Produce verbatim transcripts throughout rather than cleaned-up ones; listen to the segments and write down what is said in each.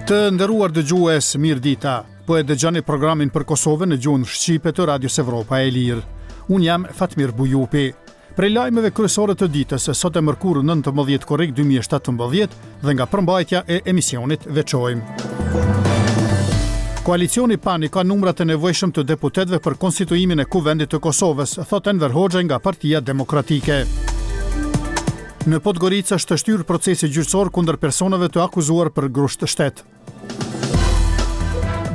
Të nderuar dëgjues, mirë dita. Po e dëgjoni programin për Kosovën në gjuhën shqipe të Radios Evropa e Lirë. Unë jam Fatmir Bujupi. Prej lajmeve kryesore të ditës, sot e mërkurë nëntëmbëdhjetë korrik dy mijë e shtatëmbëdhjetë dhe nga përmbajtja e emisionit veçojmë. Koalicioni PAN i ka numrat e nevojshëm të deputetëve për konstituimin e Kuvendit të Kosovës, thot Enver Hoxhaj nga Partia Demokratike. Në Podgoricë është shtyrë procesi gjyqësor kundër personave të akuzuar për grusht shtet.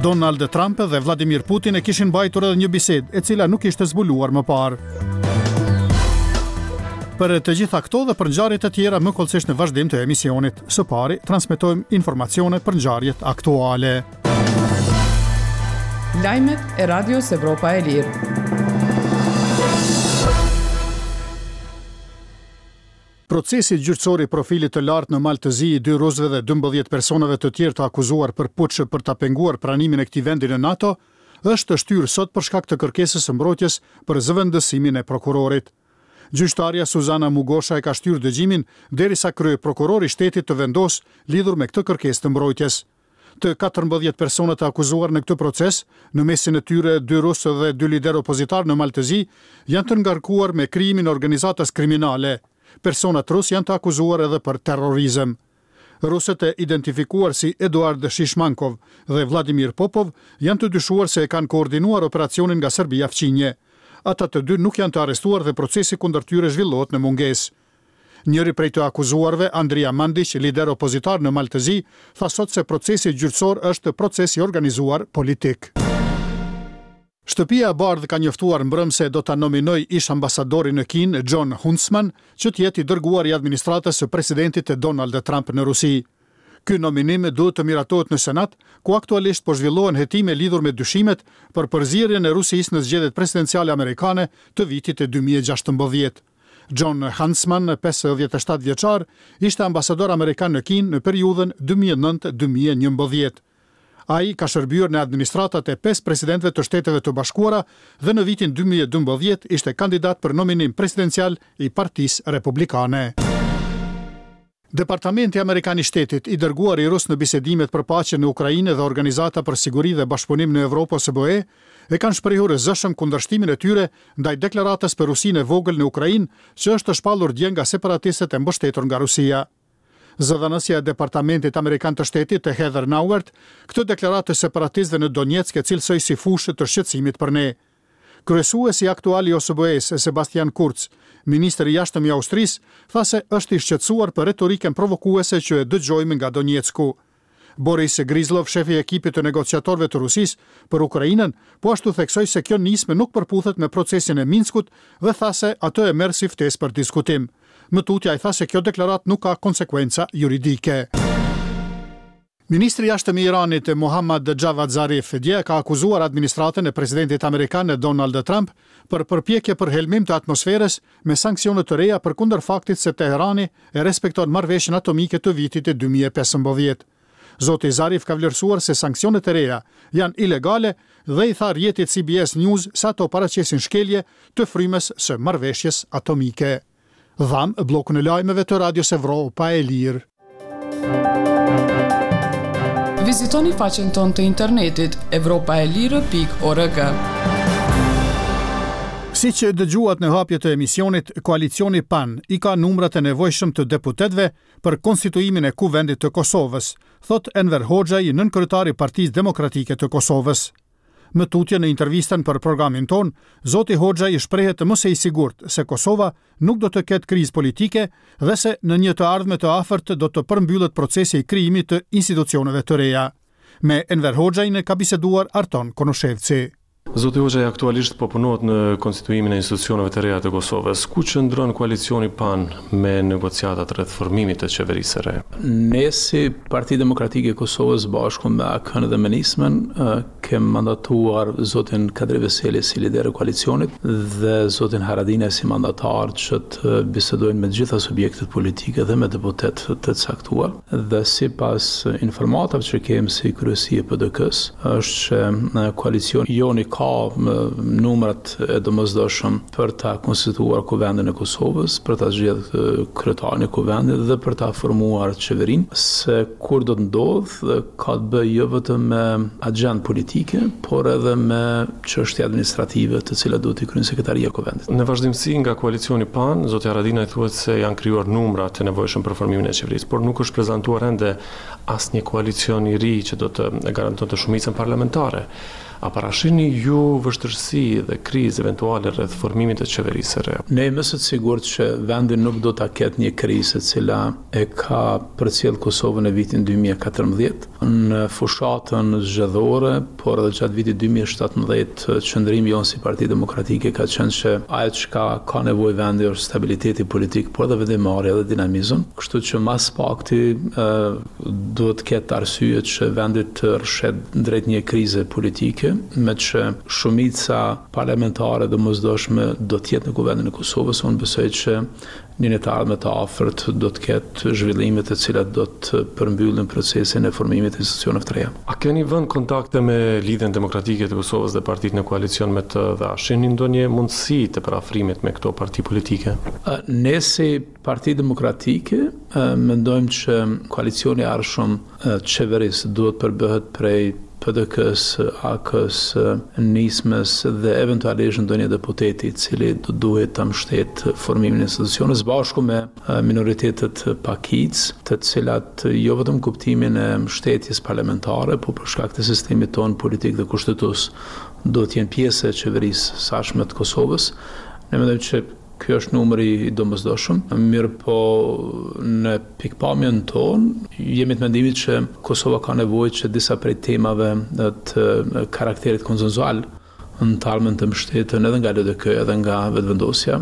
Donald Trump dhe Vladimir Putin e kishin mbajtur edhe një bisedë, e cila nuk ishte zbuluar më parë. Për të gjitha këto dhe për ngjarjet e tjera më kollësisht në vazhdim të emisionit. Së pari, transmetojmë informacione për ngjarjet aktuale. Lajmet e Radios Evropa e Lirë. Procesi gjyqësor i profilit të lartë në Mal të Zi i dy rusëve dhe dymbëdhjetë personave të tjerë të akuzuar për puç për ta penguar pranimin e këtij vendi në NATO, është shtyrë sot për shkak të kërkesës së mbrojtjes për zëvendësimin e prokurorit. Gjyqtarja Suzana Mugosha e ka shtyrë dëgjimin derisa kryeprokurori i shtetit të vendos lidhur me këtë kërkesë të mbrojtjes. Të katërmbëdhjetë persona të akuzuar në këtë proces, në mesin e tyre dy rusë dhe dy liderë opozitar në Mal të Zi, janë të ngarkuar me krijimin e organizatës kriminale. Personat rus janë të akuzuar edhe për terrorizëm. Rusët e identifikuar si Eduard Shishmankov dhe Vladimir Popov janë të dyshuar se e kanë koordinuar operacionin nga Serbia fqinje. Ata të dy nuk janë të arrestuar dhe procesi kundër tyre zhvillohet në mungesë. Njëri prej të akuzuarve, Andrija Mandiq, lider opozitar në Mal të Zi, tha sot se procesi gjyqësor është proces i organizuar politik. Shtëpia e Bardhë ka njoftuar mbrëm se do ta nominoj ish ambasadorin në Kinë, John Huntsman, që të jetë i dërguar i administratës së presidentit Donald Trump në Rusi. Ky nominim duhet të miratohet në Senat, ku aktualisht po zhvillohen hetime lidhur me dyshimet për përzierjen e Rusisë në zgjedhjet presidenciale amerikane të vitit dy mijë e gjashtëmbëdhjetë. John Huntsman, pesëdhjetë e shtatë vjeçar, ishte ambasador amerikan në Kinë në periudhën dy mijë e nëntë dy mijë e njëmbëdhjetë. Ai ka shërbyer në administratat e pesë presidentëve të Shteteve të Bashkuara dhe në vitin dy mijë e dymbëdhjetë ishte kandidat për nominim presidencial i Partisë Republikane. Departamenti Amerikan i Shtetit, i dërguar i rus në bisedimet për paqe në Ukrainë dhe Organizata për Siguri dhe Bashkëpunim në Evropë O S B E, e kanë shprehur zëshëm kundërshtimin e tyre ndaj deklaratës për Rusinë e vogël në Ukrainë, që është shpallur dje nga separatistët e mbështetur nga Rusia. Zëdhënësja e Departamentit Amerikan të Shtetit, Heather Nauert, këtë deklaratë të separatistëve në Donetsk e cilësoi si fushë të shqetësimit për ne. Kryesuesi aktual i O S B E-s, Sebastian Kurz, ministri i jashtëm i Austrisë, tha se është i shqetësuar për retorikën provokuese që e dëgjojmë nga Donetsku. Boris Gryzlov, shefi i ekipit të negociatorëve të Rusisë për Ukrainën, po ashtu theksoi se kjo nismë nuk përputhet me procesin e Minskut dhe tha se atë e merr si ftesë për diskutim. Më tutje ai tha se kjo deklaratë nuk ka konsekuenca juridike. Ministri i Jashtëm i Iranit, Mohammad Javad Zarif, dje ka akuzuar administratën e presidentit amerikan Donald Trump për përpjekje për helmim të atmosferës me sanksione të reja përkundër faktit se Teherani e respekton marrëveshjen atomike të vitit dy mijë e pesëmbëdhjetë. Zoti Zarif ka vlerësuar se sanksionet e reja janë ilegale dhe i tha rrjetit C B S News se ato paraqesin shkelje të frymës së marrëveshjes atomike. Dham bllokun e lajmeve të Radios Evropa e Lirë. Vizitoni faqen tonë të internetit evropa e lirë pikë org. Si që dëgjuat në hapje të emisionit, koalicioni PAN i ka numrat e nevojshëm të deputetëve për konstituimin e Kuvendit të Kosovës, thot Enver Hoxhaj, nënkryetari i Partisë Demokratike të Kosovës. Më tutje në intervistën për programin ton, zoti Hoxhaj i shprehet më se i sigurt se Kosova nuk do të ketë krizë politike dhe se në një të ardhme të afërt do të përmbyllet procesi i krijimit të institucioneve të reja. Me Enver Hoxhajn ka biseduar Arton Konushevci. Zoti Hoxhaj, aktualisht po punohet në konstituimin e institucioneve të reja të Kosovës. Ku qëndron koalicioni PAN me negociatat rreth formimit të qeverisë së re? Ne si Parti Demokratike e Kosovës bashku me A K-në dhe me Nismën, ë, kem mandatuar zotin Kadri Veseli si lider i koalicionit dhe zotin Haradinaj si mandatar që të bisedojnë me të gjitha subjektet politike dhe me deputetë të caktuar. Dhe sipas informatave që kemi si kryesi e P D K-s, është që, ë, koalicioni joni ka numrat e domosdoshëm për ta konstituuar Kuvendin e Kosovës, për ta zgjedhur kryetarin e Kuvendit dhe për ta formuar qeverinë. Se kur do të ndodhë, ka të bëjë jo vetëm me agjendë politike, por edhe me çështje administrative të cilat duhet t'i kryejë sekretaria e Kuvendit. Në vazhdimësi nga koalicioni PAN, zoti Haradinaj thuhet se janë krijuar numra të nevojshëm për formimin e qeverisë, por nuk është prezantuar ende asnjë koalicion i ri që do të garantonte shumicën parlamentare. A parashihni ju vështirësi dhe krizë eventuale rreth formimit të qeverisë së re? Ne jemi të sigurt që vendi nuk do ta ketë një krizë e cila e ka përcjellë Kosovën në vitin dy mijë e katërmbëdhjetë. Në fushatën zgjedhore, por edhe gjatë vitit dy mijë e shtatëmbëdhjetë, qëndrimi jonë si Parti Demokratike ka qenë që ajo çka ka nevojë vendi është stabiliteti politik, por edhe vendimmarrja dhe dinamizëm. Kështu që mas pakti duhet të ketë arsye që vendi të rrëshet drejt një krize politike, me që shumica parlamentare domosdoshme do të jetë në Kuvendin e Kosovës. Unë besoj që në një të ardhme të afërt do të ketë zhvillime të cilat do të përmbyllin procesin e formimit të institucioneve të reja. A keni vënë kontakte me Lidhjen Demokratike të Kosovës dhe partitë në koalicion me të dhe a shihni ndonjë mundësi të përafrimit me këto parti politike? Ne si Parti Demokratike mendojmë që koalicioni i ardhshëm qeverisë duhet përbëhet prej P D K-s, A K-s, Nismës dhe eventualisht ndonjë deputeti i cili do duhet ta mbështet formimin e institucioneve së bashku me minoritetet pakicë, të cilat jo vetëm kuptimin e mbështetjes parlamentare, por për shkak të sistemit tonë politik dhe kushtetues do të jenë pjesë e qeverisë së ardhshme të Kosovës. Ne mendojmë që ky është numri i domosdoshëm, mirë po në pikpamjen tonë jemi të mendimit që Kosova ka nevojë që disa prej temave të karakterit konsensual në të ardhmen të mbështeten edhe nga L D K edhe nga Vetëvendosja.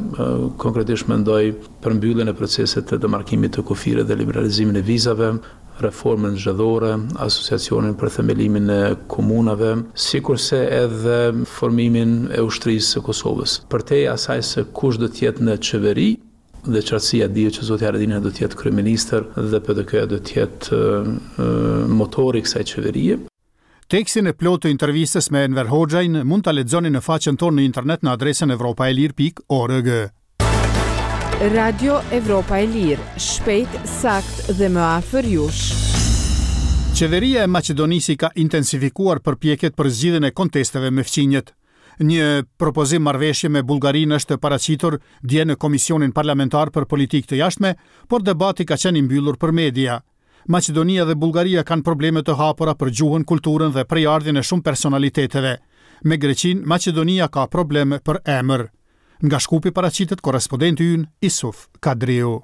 Konkretisht mendoj për mbylljen e procesit të demarkimit të kufirit dhe liberalizimin e vizave, reformën zgjedhore, asociacionin për themelimin e komunave, sikurse edhe formimin e ushtrisë së Kosovës. Përtej asaj se kush do të jetë në qeveri, dhe qartësia dihet që zoti Haradinaj do të jetë kryeministër dhe P D K-ja do të jetë motori i kësaj qeverie. Tekstin e plotë të intervistës me Enver Hoxhajn mund ta lexoni në faqen tonë në internet në adresën evropa e lirë pikë org. Radio Evropa e Lirë, shpejt, sakt dhe më afër jush. Qeveria e Maqedonisë ka intensifikuar përpjekjet për zgjidhjen e kontesteve me fqinjët. Një propozim marrëveshje me Bullgarinë është paraqitur dje në Komisionin Parlamentar për Politikë të Jashtme, por debati ka qenë i mbyllur për media. Maqedonia dhe Bullgaria kanë probleme të hapura për gjuhën, kulturën dhe prejardhjen e shumë personaliteteve. Me Greqinë, Maqedonia ka probleme për emër. Nga Shkupi paraqitet korrespondenti ynë Isuf Kadriu.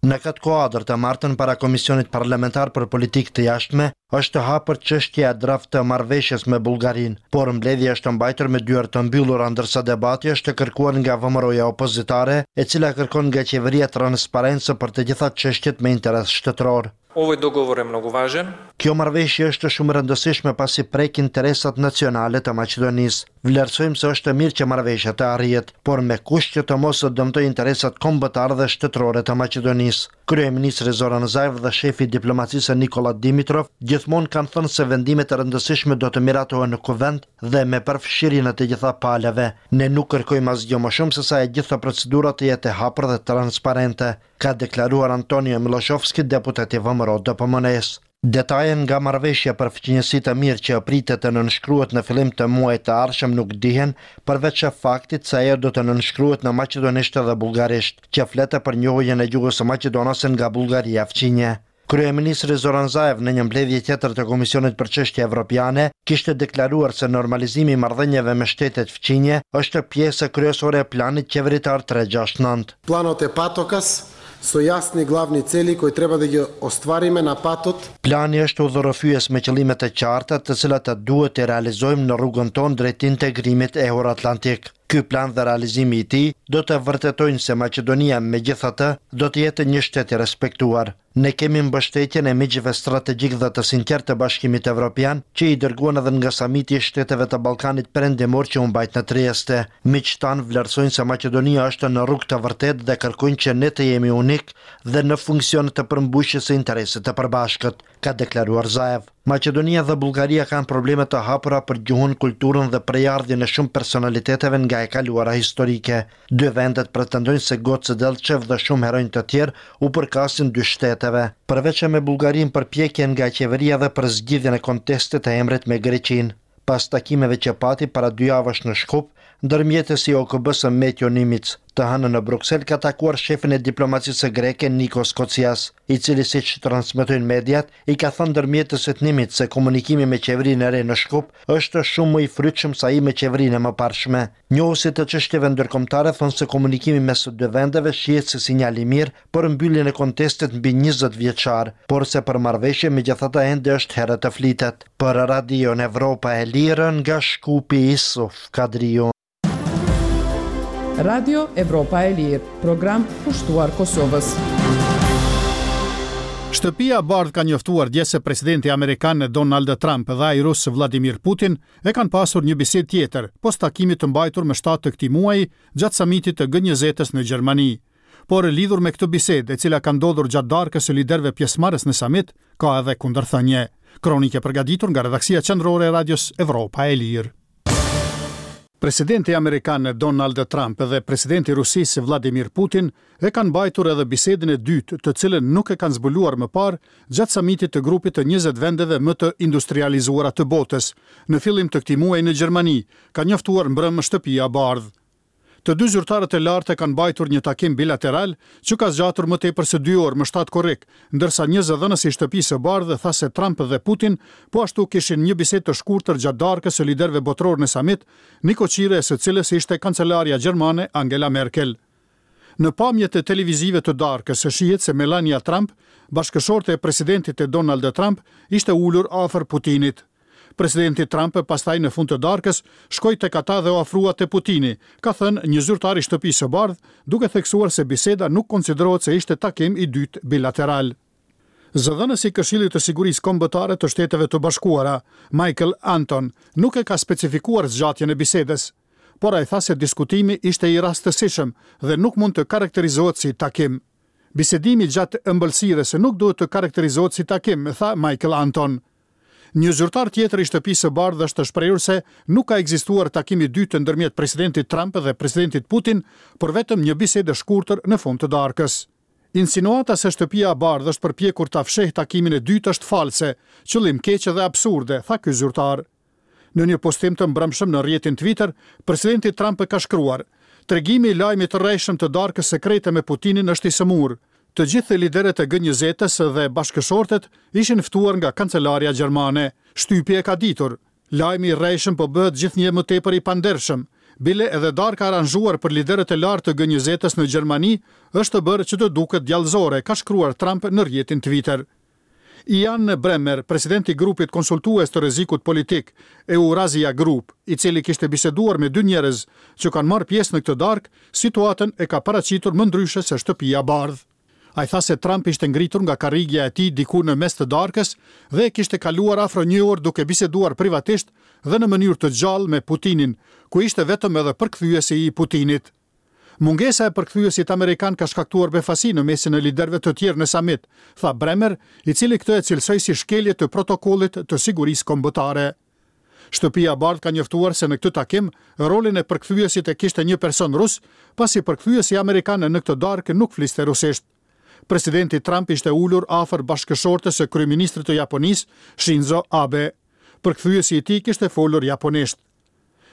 Në këtë kuadër të martën para Komisionit Parlamentar për Politikë të Jashtme është hapur çështja e draft të marrëveshjes me Bullgarinë, por mbledhja është mbajtur me dyer të mbyllura ndërsa debati është kërkuar nga V M R-ja opozitare, e cila kërkon nga qeveria transparencë për të gjitha çështjet me interes shtetëror. Овој договор е многу важен. Kjo marrëveshje është shumë e rëndësishme pasi prek interesat nacionale të Maqedonisë. Vlerësojmë se është mirë që marrëveshja të arrihet, por me kusht që të mos dëmtojë interesat kombëtare dhe shtetërore të Maqedonisë. Kryeministri Zoran Zaev dhe shefi i diplomacisë Nikola Dimitrov gjithmonë kanë thënë se vendimet e rëndësishme do të miratohen në kuvend dhe me përfshirjen e të gjitha palëve. Ne nuk kërkojmë asgjë më shumë se sa e gjitha procedura të jetë e hapur dhe transparente, ka deklaruar Antonio Miloshovski, deputet i V M R O D P M N-s. Detaje nga marrëveshja për fqinjësi të mirë që pritet të nënshkruhet në fillim të muajit të ardhshëm nuk dihen, përveç faktit se ajo do të nënshkruhet në maqedonisht dhe bullgarisht, që fletë për njohjen e gjuhës së maqedonase nga Bullgaria fqinje. Kryeministri Zoran Zaev në një mbledhje tjetër të Komisionit për Çështje Evropiane kishte deklaruar se normalizimi i marrëdhënieve me shtetet fqinje është pjesë kryesore e planit qeveritar tre gjashtë nëntë. Planot e patokas со јасни главни цели кои треба да ги оствариме на патот. Plani është udhërrëfyes me qëllime të qarta, të cilat duhet të realizojmë në rrugën tonë drejt integrimit euroatlantik. Ky plan dhe realizimi i tij do të vërtetojnë se Maqedonia megjithatë do të jetë një shtet i respektuar. Ne kemi mbështetjen e miqve strategjik dhe të sinqertë të Bashkimit Evropian, që i dërguan edhe nga samiti i shteteve të Ballkanit Perëndimor që u mbajt në Trieste. Miqtë tanë vlerësojnë se Maqedonia është në rrugë të vërtetë dhe kërkojnë që ne të jemi unik dhe në funksion të përmbushjes së interesit të përbashkët, ka deklaruar Zaev. Maqedonia dhe Bullgaria kanë probleme të hapura për gjuhën, kulturën dhe prejardhjen e shumë personaliteteve nga e kaluara historike. Dy vendet pretendojnë se Goce Delçev dhe shumë heronj të tjerë u përkasin dy shteteve. Përveç me Bullgarinë përpjekje nga qeveria dhe për zgjidhjen e kontestit të emrit me Greqinë. Pas takimeve që pati para dy javësh në Shkup, ndërmjetësi i O K B-së Metjo Nimitz, të hënën në Bruksel ka takuar shefin e diplomacisë greke Nikos Kocias, i cili siç transmetojnë mediat, i ka thënë ndërmjetësit Nimitz se komunikimi me qeverinë e re në Shkup është shumë më i frytshëm se ai me qeverinë e mëparshme. Njohësit të çështjeve ndërkombëtare thonë se komunikimi mes dy vendeve shihet si sinjal i mirë për mbylljen e kontestit mbi njëzet vjeçar, por se për marrëveshje megjithatë ende është herët të flitet. Për Radion Evropa e Lirë nga Shkupi, Isuf Kadriu. Radio Evropa e Lirë, program kushtuar Kosovës. Shtëpia e Bardhë ka njoftuar dje se presidenti amerikan Donald Trump dhe ai rus Vladimir Putin e kanë pasur një bisedë tjetër, pos takimit të mbajtur më shtatë të këtij muaji gjatë samitit të G njëzet-s në Gjermani. Por lidhur me këtë bisedë, e cila ka ndodhur gjatë darkës së liderëve pjesëmarrës në samit, ka edhe kundërthënie. Kronike përgatitur nga redaksia qendrore e Radios Evropa e Lirë. Presidenti amerikan Donald Trump dhe presidenti i Rusisë Vladimir Putin e kanë mbajtur edhe bisedën e dytë, të cilën nuk e kanë zbuluar më parë gjatë samitit të grupit të njëzet vendeve më të industrializuara të botës, në fillim të këtij muaji në Gjermani, ka njoftuar mbrëmë Shtëpia e Bardhë. Të dy zyrtarët e lartë kanë mbajtur një takim bilateral që ka zgjatur më tepër se dy orë më shtatë korrik, ndërsa një zëdhënës i Shtëpisë së Bardhë tha se Trump dhe Putin po ashtu kishin një bisedë të shkurtër gjatë darkës së liderëve botëror në samit, nikoqire e së cilës ishte kancelarja gjermane Angela Merkel. Në pamjet e televizive të darkës shihet se Melania Trump, bashkëshorte e presidentit të Donald Trump, ishte ulur afër Putinit. Presidenti Trump pastaj në fund të darkës shkoi tek ata dhe u afrua te Putini, ka thënë një zyrtar i Shtëpisë së Bardhë, duke theksuar se biseda nuk konsiderohet se ishte takim i dytë bilateral. Zëdhënësi i Këshillit të Sigurisë Kombëtare të Shteteve të Bashkuara, Michael Anton, nuk e ka specifikuar zgjatjen e bisedës, por ai tha se diskutimi ishte i rastësishëm dhe nuk mund të karakterizohet si takim. Bisedimi gjatë ëmbëlsirës nuk duhet të karakterizohet si takim, tha Michael Anton. Një zyrtar tjetër i Shtëpisë së Bardhë është shprehur se nuk ka ekzistuar takim i dytë ndërmjet presidentit Trump dhe presidentit Putin, por vetëm një bisedë e shkurtër në fund të darkës. Insinuata se Shtëpia e Bardhë është përpjekur ta fshehë takimin e dytë është false, qëllim keq dhe absurde, tha ky zyrtar. Në një postim të mbrëmshëm në rrjetin Twitter, presidenti Trump ka shkruar: Tregimi i lajmit të rrejshëm të darkës sekrete me Putinin është i sëmur. Të gjithë liderët e G njëzet-s dhe bashkëshortet ishin ftuar nga kancelaria gjermane. Shtypi e ka ditur. Lajmi i rrejshëm po bëhet gjithnjë më tepër i pandershëm. Bile edhe darka e aranzhuar për liderët e lartë të G njëzet-s në Gjermani është bërë që të duket djallëzore, ka shkruar Trump në rrjetin Twitter. Ian Bremmer, presidenti i grupit konsultues të rrezikut politik, Eurasia Group, i cili kishte biseduar me dy njerëz që kanë marrë pjesë në këtë darkë, situatën e ka paraqitur më ndryshe se Shtëpia e Bardhë. Ai tha se Trump ishte ngritur nga karrigia e tij diku në mes të darkës dhe e kishte kaluar afro një orë duke biseduar privatisht dhe në mënyrë të gjallë me Putinin, ku ishte vetëm edhe përkthyesi i Putinit. Mungesa e përkthyesit amerikan ka shkaktuar befasi në mesin e liderëve të tjerë në samit, tha Bremmer, i cili këtë e cilësoi si shkelje të protokollit të sigurisë kombëtare. Shtëpia e Bardhë ka njoftuar se në këtë takim rolin e përkthyesit e kishte një person rus, pasi përkthyesi amerikan në këtë darkë nuk fliste rusisht. Presidenti Trump ishte ulur afër bashkëshortes së kryeministrit të Japonisë, Shinzo Abe. Përkthyesi i tij kishte folur japonisht.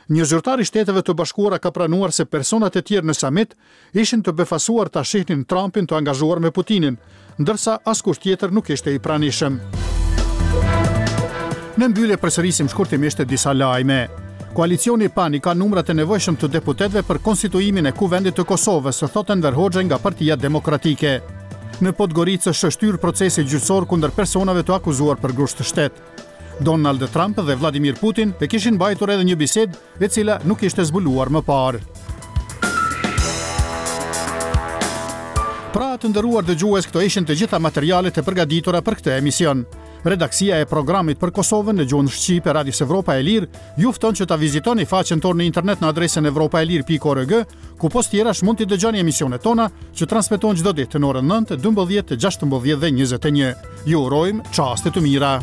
Një zyrtar i Shteteve të Bashkuara ka pranuar se personat e tjerë në samit ishin të befasuar ta shihnin Trumpin të angazhuar me Putinin, ndërsa askush tjetër nuk ishte i pranishëm. Në mbyllje përsërisim shkurtimisht disa lajme. Koalicioni PAN i ka numrat e nevojshëm të deputetëve për konstituimin e Kuvendit të Kosovës, thotë Enver Hoxhaj nga Partia Demokratike. Në Podgoricë është shtyrë procesi gjyqësor kundër personave të akuzuar për grusht shtet. Donald Trump dhe Vladimir Putin e kishin mbajtur edhe një bisedë e cila nuk ishte zbuluar më parë. Pra, të nderuar dëgjues, këto ishin të gjitha materialet e përgatitura për këtë emision. Redaksia e programit për Kosovën në gjuhën shqipe Radios Evropa e Lirë ju fton që ta vizitoni faqen tonë në internet në adresën evropaelire pikë org, ku pos tjerash mund t'i dëgjoni emisionet tona që transmetohen çdo ditë në orën nëntë, dymbëdhjetë, gjashtëmbëdhjetë dhe njëzet e një. Ju urojmë çaste të mira.